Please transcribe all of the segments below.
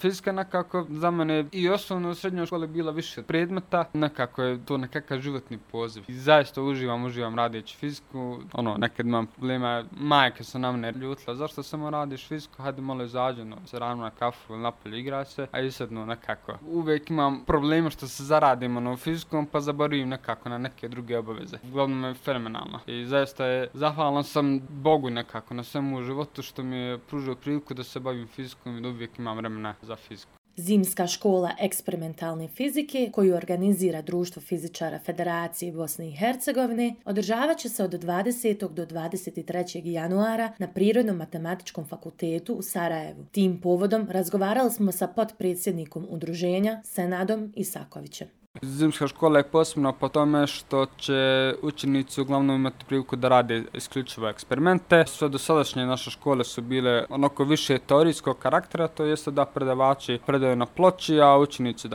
Fizika nekako za mene i osnovno u srednjoj školi bila više predmeta, nekako je to nekakav životni poziv. I zaista uživam radeći fiziku, nekad imam problema, majka se na mene ljutila, zašto samo radiš fiziku, hajde malo izađi, se rano na kafu ili napolje igra se, a i sad nekako. Uvijek imam problema što se zaradim fizikom, pa zaboravim nekako na neke druge obaveze. Uglavnom je fenomenalno i zaista je zahvalan sam Bogu nekako na svemu u životu što mi je pružio priliku da se bavim fizikom i da uvijek imam vremena za fiziku. Zimska škola eksperimentalne fizike, koju organizira Društvo fizičara Federacije Bosne i Hercegovine, održavat će se od 20. do 23. januara na Prirodno-matematičkom fakultetu u Sarajevu. Tim povodom razgovarali smo sa potpredsjednikom udruženja Senadom Isakovićem. Zimska škola je posebna po tome što će učenici uglavnom imati priliku da rade isključivo eksperimente. Sve dosadašnje naše škole su bile onako više teorijskog karaktera, to jeste da predavači predaju na ploči, a učenici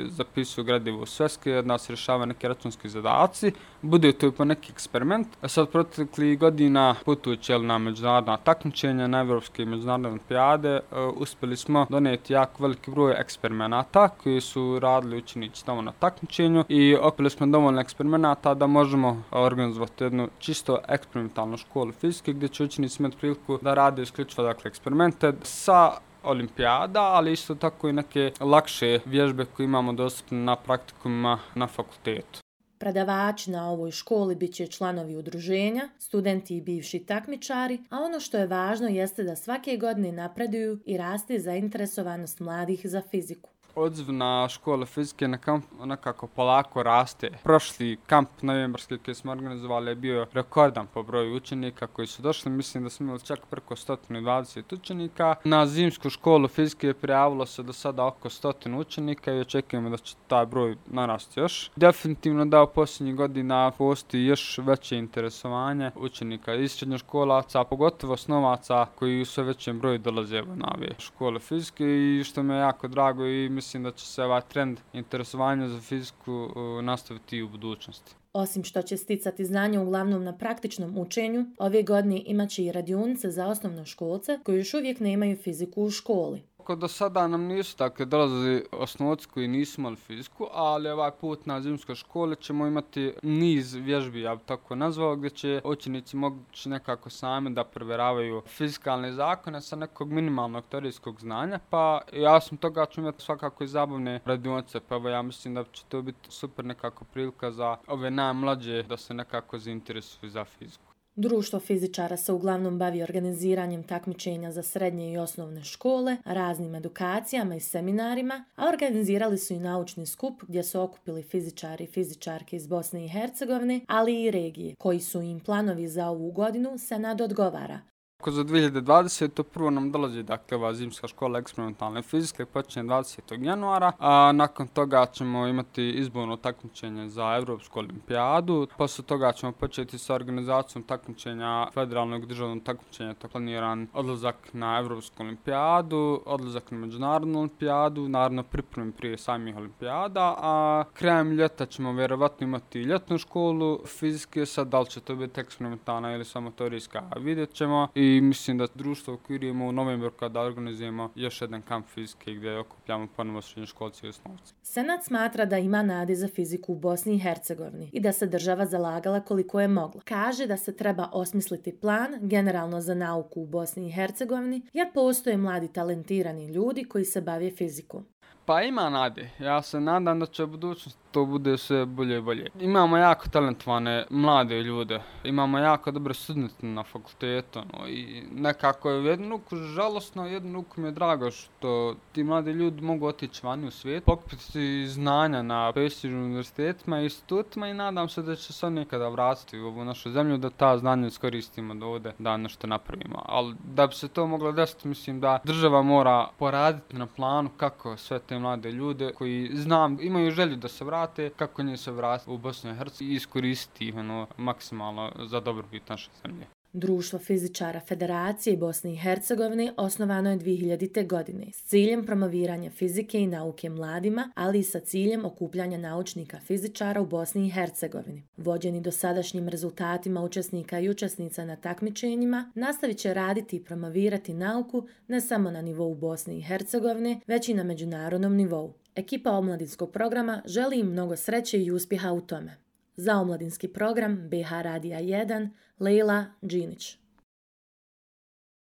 zapisuju gradivo u sveske, da se rješavaju neki računski zadaci, bude to i po neki eksperiment. Sad proteklih godina putujući na međunarodna takmičenja, na evropske i međunarodne olimpijade, uspjeli smo donijeti jako veliki broj eksperimenata koji su radili učenici tamo na takmičenju i okupili smo dovoljno eksperimenata da možemo organizovati jednu čisto eksperimentalnu školu fizike gdje će učenici imati priliku da rade isključivo eksperimente sa olimpijada, ali isto tako i neke lakše vježbe koje imamo dostupne na praktikumima na fakultetu. Predavači na ovoj školi bit će članovi udruženja, studenti i bivši takmičari, a ono što je važno jeste da svake godine napreduju i raste zainteresovanost mladih za fiziku. Odziv na školu fizike na kamp nekako polako raste. Prošli kamp novembarski koji smo organizovali je bio rekordan po broju učenika koji su došli. Mislim da smo imali čak preko 120 učenika. Na zimsku školu fizike prijavilo se do sada oko 100 učenika i očekujemo da će taj broj narasti još. Definitivno da u posljednjih godina postoji još veće interesovanje učenika iz srednjoškolaca, a pogotovo osnovaca koji u sve većem broju dolaze na ove škole fizike i što me je jako drago i mislim da će se ovaj trend interesovanja za fiziku nastaviti i u budućnosti. Osim što će sticati znanje uglavnom na praktičnom učenju, ove godine imaće i radionice za osnovnoškolce koji još uvijek nemaju fiziku u školi. Do sada nam nisu dolazili osnovci koji nisu imali fiziku, ali ovaj put na zimskoj školi ćemo imati niz vježbi, ja bih tako nazvao, gdje će učenici moći nekako sami da provjeravaju fizikalne zakone sa nekog minimalnog teorijskog znanja, pa ja sam toga ću imati svakako i zabavne radionice, pa ja mislim da će to biti super nekako prilika za ove najmlađe da se nekako zainteresuju za fiziku. Društvo fizičara se uglavnom bavi organiziranjem takmičenja za srednje i osnovne škole, raznim edukacijama i seminarima, a organizirali su i naučni skup gdje su okupili fizičari i fizičarke iz Bosne i Hercegovine, ali i regije, koji su im planovi za ovu godinu Senad odgovara. Za 2020. prvo nam dolazi ova zimska škola eksperimentalne fizike, počinje 20. januara, a nakon toga ćemo imati izborno takmičenje za Evropsku olimpijadu. Posle toga ćemo početi sa organizacijom takmičenja, federalnog državnog takmičenja, to planiran odlazak na Evropsku olimpijadu, odlazak na međunarodnu olimpijadu, naravno pripremi prije samih olimpijada, a krajem ljeta ćemo vjerovatno imati ljetnu školu fizike, sad da li će to biti eksperimentalna ili samo teorijska, vidjet ćemo. I mislim da društvo okvirujemo u novembru kada organizujemo još jedan kamp fizike gdje okupljamo ponovo srednjoškolce i osnovce. Senat smatra da ima nade za fiziku u Bosni i Hercegovini i da se država zalagala koliko je mogla. Kaže da se treba osmisliti plan generalno za nauku u Bosni i Hercegovini jer postoje mladi talentirani ljudi koji se bave fizikom. Pa ima nade. Ja se nadam da će u budućnosti to bude sve bolje i bolje. Imamo jako talentovane mlade ljude, imamo jako dobre studente na fakultetu i nekako je u jednu ruku žalosno, u jednu ruku mi je drago što ti mladi ljudi mogu otići vani u svijet, pokupiti znanja na prestižnim univerzitetima i institutima i nadam se da će se oni nekada vratiti u ovu našu zemlju, da ta znanja iskoristimo da ovdje da nešto napravimo. Ali da bi se to moglo desiti, mislim da država mora poraditi na planu kako sve te mlade ljude koji imaju želju da se vrate, kako njih se vratiti u Bosnu i Hercegovinu i iskoristiti ih maksimalno za dobrobit naše zemlje. Društvo fizičara Federacije Bosne i Hercegovine osnovano je 2000. godine s ciljem promoviranja fizike i nauke mladima, ali i sa ciljem okupljanja naučnika fizičara u Bosni i Hercegovini. Vođeni dosadašnjim rezultatima učesnika i učesnica na takmičenjima, nastavit će raditi i promovirati nauku ne samo na nivou Bosne i Hercegovine, već i na međunarodnom nivou. Ekipa omladinskog programa želi im mnogo sreće i uspjeha u tome. Za omladinski program BH Radija 1, Leila Đinić.